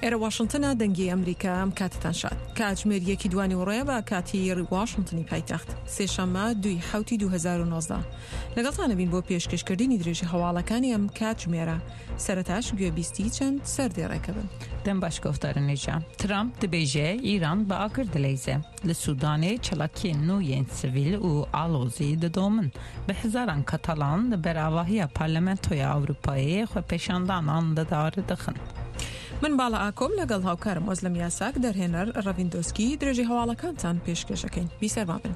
ئێرە واشنتنە دەنگی ئەمریکا ئەم کاتتان شاد کاتژمێر یەکی دوانی وڕێ بە کاتی واشنتنی پایتەخت سێشەممە دوی حوتی 2019 لەگەڵتانە بین بۆ پێشکەشکردنی درێژی هەواڵەکانی ئەم کاتژمێرە سەرەتاش گوێبیستی چەند سەردێڕێکە بن. دەم باش گۆڤدارن نێژا. ترامپ دبێژێ ئیران بە ئاگر دلەیزێ. Li Sûdanê çalakiyên nû yên sivîl û alozî didomin. Bi hezaran Katalan li ber avahiya Parlamentoya Ewropayê xwepêşandanan li dar dixin. من باڵا ئاکۆم لەگەڵ هاوکارم ئۆزلەم یاساک دەرهێنەر ڕەڤین دۆسکی درێژەی هەواڵەکانتان پێشکێش ئەکەین. بیسەرما بن.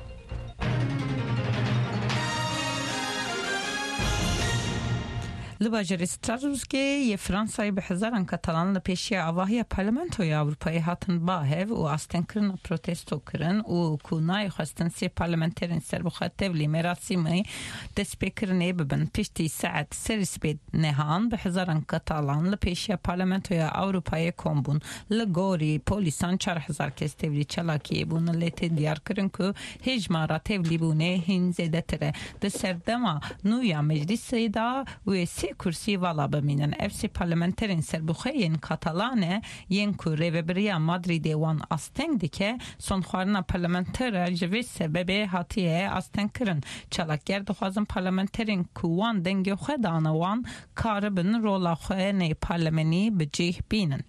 Li bajarê Strasbourgê yê Fransayê bi hezaran Katalan li pêşiya avahiya Parlamentoya Ewropayê hatin ba hev û astengkirina protesto kirin û ku nayê xwestin sê parlamenterên serbixwe tevlî merasîmê destpêkirinê bibin. Piştî saet serê sibê nehan bi hezaran Katalan li pêşiya Parlamentoya Ewropayê kom bûn. Li gorî polîsan 4000 kes tevlî çalakiyê bûn lê tê diyarkirin ku hejmara tevlîbûnê hîn zêdetir e. Di serdema nû ya meclîsê de wê sê kursî vala bimînin. Ev sê parlamenterên serbixwe yên Katalan e yên ku rêveberiya Madrîdê wan asteng dike, sonxwarina parlamentera ji vê sebebê hatiye astengkirin. Çalakger dixwazin parlamenterên ku wan dengê xwe dane wan karibin rola xwe nê parlamenî bi cih bînin.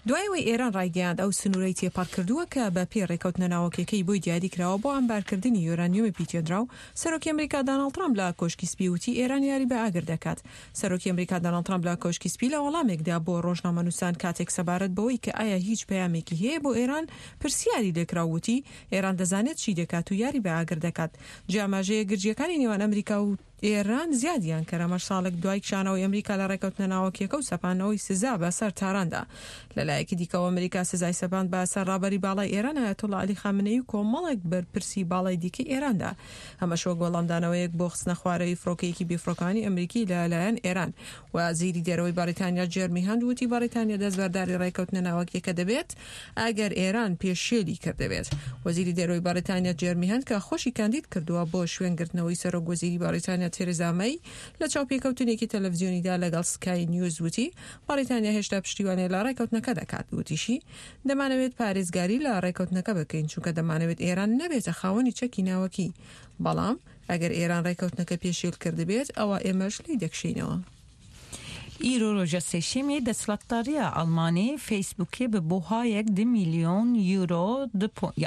دوای ئەوەی ئێران ڕایگەیاند ئەو سنوورەی تێپەڕ کردووە کە بە پێی ڕێکەوتنە ناوەکیەکەی بۆی دیاری کراوە بۆ عەمبارکردنی یۆرانیۆمی پیتێنراو، سەرۆکی ئەمریکا داناڵد ترامپ لە کۆشکی سپی وتی ئێران یاری بە ئاگر دەکات. سەرۆکی ئەمریکا داناڵد ترامپ لە کۆشکی سپی لە وەڵامێکدا بۆ ڕۆژنامەنووسان کاتێک سەبارەت بەوەی کە ئایا هیچ پەیامێکی هەیە بۆ ئێران پرسیاری لێکرا وتی ئێران دەزانێت چی دەکات و یاری بە ئاگر دەکات. جێ ئاماژەیە گرژییەکانی نێوان ئەمریکا و ئێران زیادیان کرد، ئەمەش ساڵێک دوای کشانەوەی ئەمریکا لە ڕێکەوتنە ناوەکییەکە و سەپاندنەوەی سزا بە سەر تاراندا. لە لایەکی دیکەوە ئەمریکا سزای سەپاند بە سەر ڕابەری باڵای ئێران ئایەتوڵا عەلی خامنەیی و کۆمەڵێک بەرپرسی باڵای دیکەی ئێراندا، ئەمەش وەک وەڵامدانەوەیەک بۆ خستنەخوارەوی فڕۆکەیەکی بێفڕۆکەوانی ئەمریکی لە لایەن ئێران. وەزیری دەرەوەی بەڕیتانیا جێرمی هەنت وتی بەڕیتانیا دەستبەرداری ڕێکەوتنە ناوەکیەکە دەبێت ئەگەر ئێران پێشێلی کردبێت. وەزیری دەرەوەی بەڕیتانیا جێرمی هەنت کە خۆشی کاندید کردووە بۆ شوێنگرتنەوەی سەرۆک وەزیری بەڕیتانیا تێرێزا مەی لە چاوپێکەوتنێکی تەلەفزیۆنیدا لەگەڵ سکای نیوز وتی بەڕیتانیا هێشتا پشتیوانی لە ڕێکەوتنەکە دەکات. وتیشی دەمانەوێت پارێزگاری لە ڕێکەوتنەکە بکەین چونکە دەمانەوێت ئێران نەبێتە خاوەنی چەکی ناوەکی بەڵام ئەگەر ئێران ڕێکەوتنەکە پێشێل کردبێت ئەوا ئێمەش لێی دەکشێینەوە. Îro roja sêşemê desthilatdariya Almanê Facebookê bi buhayek du mîlyon euro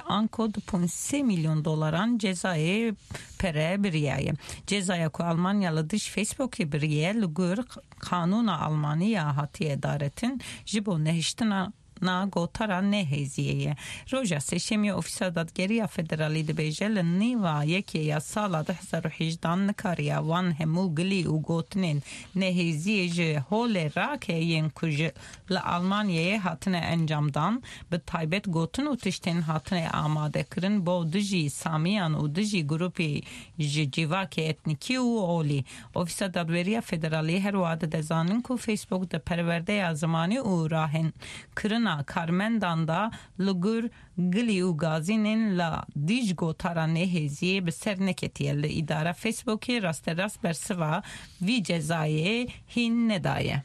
anko du point sê mîlyon dolaran cezayê pere biriyaye. Cezaya ku Almanya li dij Facebookê biriye li gor qanûna Almanî ya hatiye daretin ji bo nehiştina Na gotara ne hêziyê ye. Roja sêşemê Ofîsa Dadgeriya Federalî dibêje li nêva yekê ya sala 2018 nikariya wan hemû gilî û gotinên nehêziyê ji holê rake yên ku ji li Almanyayê hatine encamdan, bi taybet gotin û tiştên hatine amadekirin bo dijî Samiyan û dijî grûpê ji civakê etnîkî û olî. Ofîsa Dadweriya Federalî her wiha dide zanin ku Facebook di perwerdeya zimanî û rahênkirina karmendan de li gor gilî û gazînên li dij gotara nêhêziyê bi ser neketiye li îdara Facebookê rasterast bersiva vî cezayê hîn nedaye.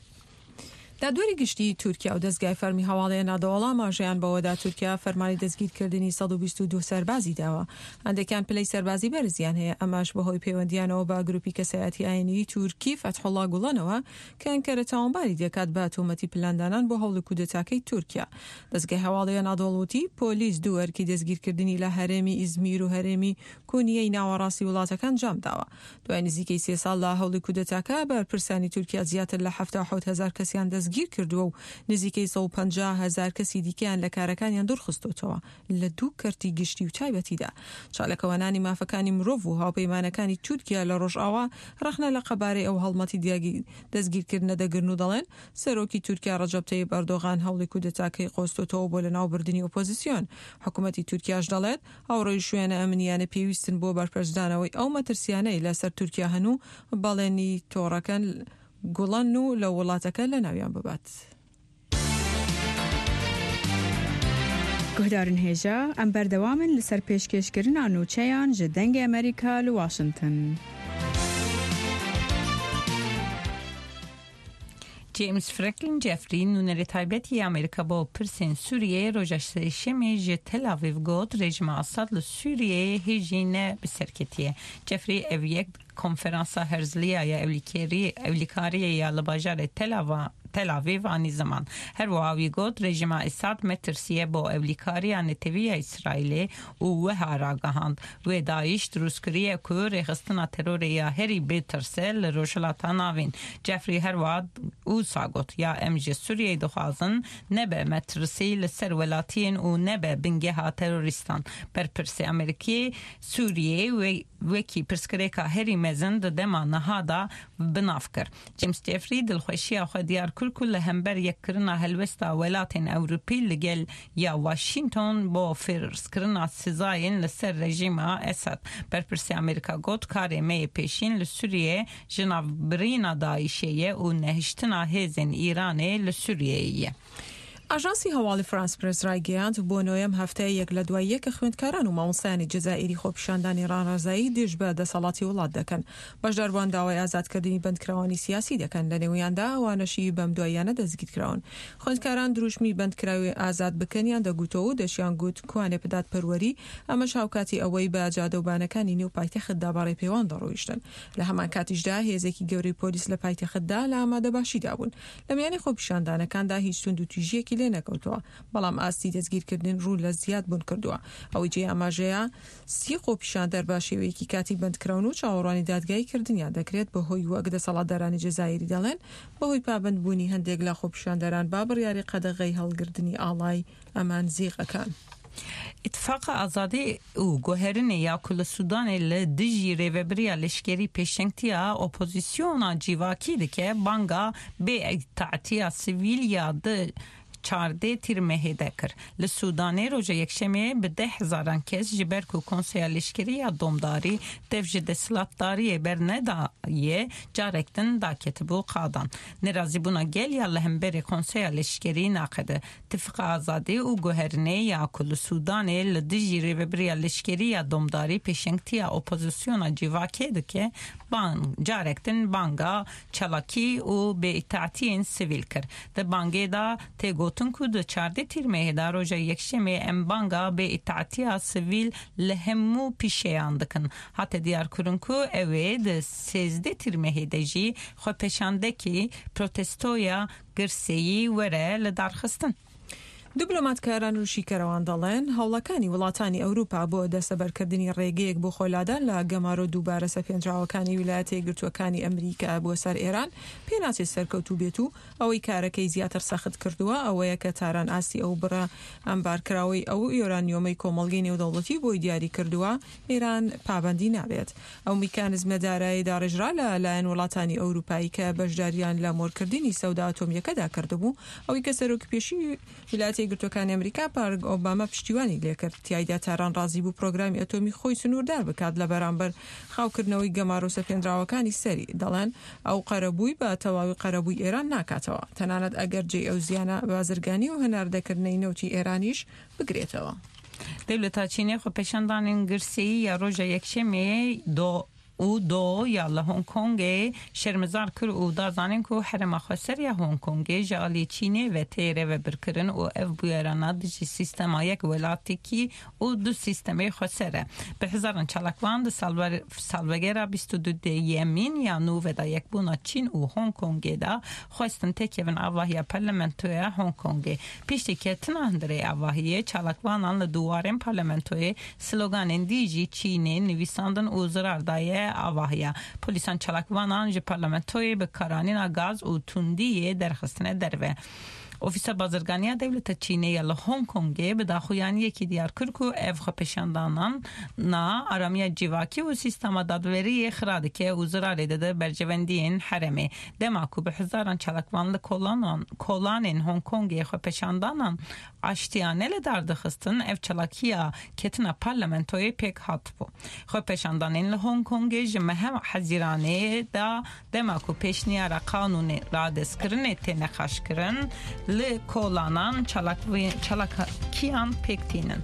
دادوەری گشتیی تورکیا و دەزگای فەرمی هەواڵی ئەنادۆڵ ئاماژەیان بەوەدا تورکیا فەرمانی دەستگیرکردنی 122 سەربازی داوە، هەندێکیان پلەی سەربازی بەرزیان هەیە، ئەمەش بەهۆی پەیوەندییانەوە بە گروپی کەسایەتی ئاینیی تورکی فەتحوڵا گوڵەنەوە کە ئەنکەرە تاوانباری دەکات بە تۆمەتی پلاندانان بۆ هەوڵی کودەتاکەی تورکیا. دەزگای هەواڵی ئەنادۆڵ وتی، پۆلیس دوو ئەرکی دەستگیرکردنی لە هەرێمی ئیزمیر و هەرێمی کونیەی ناوەڕاستی وڵاتەکە ئەنجامداوە. دوای نزیکەی سێ ساڵ لە هەوڵی کودەتاکە، بەرپرسانی تورکیا زیاتر لە 77 هەزار کەسیان دەستگیرکردووە و نزیکەی 150 هەزار کەسی دیکەیان لە کارەکانیان دوورخستۆتەوە لە دوو کەرتی گشتی و تایبەتیدا. چاالکوانانی مافەکانی مرۆڤ و هاوپەیمانەکانی تورکیا لە ڕۆژئاوا ڕەخنە لە قەبارەی ئەو هەڵمەتی دەستگیرکردنە دەگرن و دەڵێن سەرۆکی تورکیا ڕەجەب تەیب ئەردۆغان هەوڵی کودەتاکەی قۆستۆتەوە بۆ لەناوبردنی ئۆپۆزیسیۆن. حکومەتی تورکیاش دەڵێت ئەو ڕێوشوێنە ئەمنییانە پێویستن بۆ بەرپەرچدانەوەی ئەو مەترسیانەی لەسەر تورکیا هەن و بەڵێنی تۆڕەکە گوڵەن و لە وڵاتەکە لەناویان ببات. Guhdarên hêja, em berdewam in li ser pêşkêşkirina nûçeyan ji Dengê Amerîka li Washington. جەیمس فرەنکلین جێفری، نوێنەری تایبەت ی ئەمریکا بۆ پرسên Sûriyeyê roja Sêşemê ji Tel Aviv got, rejîma Esad li Sûriyeyê hê jî ne bi ser ketiye. Jeffrey ev yek konferansa Herzliya ya ewlîkariyê ya li bajarê Tel Aviv anî ziman. Her wiha wî got, rejîma Esad metirsî ye bo ewlîkariya netewî ya Îsraîlê û wiha ragihand, Wê DAIŞ dirûst kiriye ku rêxistina terorê ya herî bêtirs e li Rojhilata Navîn. Jeffrey her wiha wisa got, Ya em ji Sûriyeyê dixwazin nebe metirsî li ser welatiyên û nebe bingeha terorîstan. Berpirsê Amerîkî Sûriyeyê wekî pirsgirêka herî mezin di dema niha de binav kir. James Jeffrey dilxweşiya xwe diyar kir ku li hember yekkirina helwesta welatên Ewropî li gel ya Washington bo ferzkirina sizayên li ser rejîma Esad. Berpirsê Amerîka got, Karê me yê pêşîn li Sûriyeyê ji navbirîna DAIŞ'ê ye û nehiştina hêzên Îranê li Sûriyeyê ye. ئاژانسی هەواڵی فرانس پرێس ڕایگەیاند، بۆ نۆیەم هەفتەیە یەک لە دوای یەک خوێندکاران و مامۆستایانی جەزائیری خۆپیشاندانی ڕانڕەزایی دژ بە دەسەڵاتی وڵات دەکەن. بەشداربووان داوای ئازادکردنی بەندکراوانی سیاسی دەکەن، لەنێویاندا ئەوانەشی بەمدواییانە دەستگیرکراون. خوێندکاران دروشمی بەندکراوی ئازاد بکەنیان دەگوتەوە و دەشیانگوت کوانێ دادپەروەری، ئەمەش هاوکاتی ئەوەی بە جادەوبانەکانی نێو پایتەختدا بە ڕێپێوان دەڕۆیشتن. لە هەمانکاتیشدا هێزێکی گەورەی پۆلیس لە پایتەختدا لە ئامادەباشیدا بوون. لە میانی خۆپیشاندانەکاندا هیچ توندوتیژییەکی لێ نەکەوتەوە، بەڵام ئاستی دەستگیرکردن ڕوو لە زیاد بوون کردووە. ئەوەی جێی ئاماژەیە سی خۆپیشاندەر بە شێوەیەکی کاتی بەندکراون و چاوەڕوانی دادگایی کردنیان دەکرێت بەهۆی وەک دەسەڵاتدارانی جەزائیری دەڵێن بەهۆی پابەندبوونی هەندێک لە خۆپیشاندەران بە بڕیاری قەدەغەی هەڵگردنی ئاڵای ئەمانزیغەکان. ئیتفاقا ئازادی û guherînê ya ku li Sûdanê li dijî rêveberiya leşkerî pêşengtiya opozîsyona cîvakî dike, banga bêîtaetiya sivîl ya di 14 Tîrmehê de kir. Li Sûdanê roja Yekşemê bi deh hezaran kes ji ber ku Konseya Leşkerî ya Domdarî dev ji desthilatdariyê bernedaye carek din daketibû qadan. Nerazîbûna gel ya li hemberî Konseya Leşkerî naqede. Tifiqa Azadî û Guherinê ya ku li Sûdanê li dijî rêveberiya leşkerî ya domdarî pêşengtiya opozisyona civakê dike, bang carek din banga çalakî û bêîtaetiyên sivîl kir. Di bangê de tê gotin ku di 14 Tîrmehê de roja Yekşemê em banga bêîtaetiya sivîl li hemû pîşeyan dikin. Hate diyarkirin ku ew ê di 13 Tîrmehê de jî xwepêşandekî protestoya girseyî were lidarxistin. دیبلۆماتکاران و شیکەرەوان دەڵێن، هەوڵەکانی وڵاتانی ئەوروپا بۆ دەستەبەرکردنی ڕێگەیەک بۆ خۆلادان لە گەمارۆ دووبارە سەپێنراوەکانی ویلایەتە یەکگرتووەکانی ئەمریکا بۆ سەر ئێران پێناچێت سەرکەوتوو بێت و ئەوەی کارەکەی زیاتر سەخت کردووە ئەوەیە کە تاران ئاستی ئەو بڕە ئەمبارکراوەی ئەو یۆرانیۆمەی کۆمەڵگەی نێودەوڵەتی بۆی دیاری کردووە ئێران پابەندی نابێت. ئەو میکانزمە دارایەی داڕێژرا لە لایەن وڵاتانی ئەوروپایی کە بەشداریان لە مۆرکردنی سەودا ئەتۆمییەکەدا کردبوو، ئەوەی کە سەرۆکی پێشووی ویلایەتە یەکگرتووەکانی ئەمریکا بارک ئۆباما پشتیوانی لێکرد، تیایدا تاران ڕازی بوو پرۆگرامی ئەتۆمی خۆی سنووردار بکات لە بەرامبەر خاوکردنەوەی گەمارۆ سەپێنراوەکانی سەری، دەڵێن ئەو قەرەبووی بە تەواوی قەرەبووی ئێران ناکاتەوە، تەنانەت ئەگەر جێی ئەو زیانە بازرگانی و هەناردەکردنەی نەوتی ئێرانیش بگرێتەوە. Dewleta Çînê xwepêşandanên girseyî ya roja Yekşemê do û do ya li Hong Kongê şermezar kir û da zanîn ku herêma xweser ya Hong Kongê ji aliyê Çînê ve tê rêvebirkirin û ev bûyerana dijî sîstema yek welatekî û du sîstemê xweser e. Bi hezaran çalakvan di salvegera 22 yemîn ya nû ve da yekbûna Çîn û Hong Kongê de xwestin têkevin avahiya parlamentoya Hong Kongê. Piştî ketina hundirê avahiyê çalakvanan li duwarên parlamentoyê sloganên dijî Çînê nivîsandin û zirar daye avahiya. Polîsan çalakvanan ji parlamentoyê bi karanîna gaz û tundiyê derxistine derve. Ofîsa Bazirganiya Dewleta Çînê ya li Hong Kongê bi daxuyaniyekî diyar kir ku ev xwepêşandanan na aramiya civakî û sîstema dadweriyê xira dike û zirarê dide berjewendiyên herêmê. Dema ku bi hezaran çalakvan li kolanên Hong Kongê xwepêşandanan aştiyane li dar dixistin, ev çalakiya ketina parlamentoyê pêk hatibû. Xwepêşandanên li Hong Kongê ji meha Hezîranê da dema ku pêşniyara qanûnê radestkirinê tê nexaşkirin, li kolanan çalakiyan pêk tînin.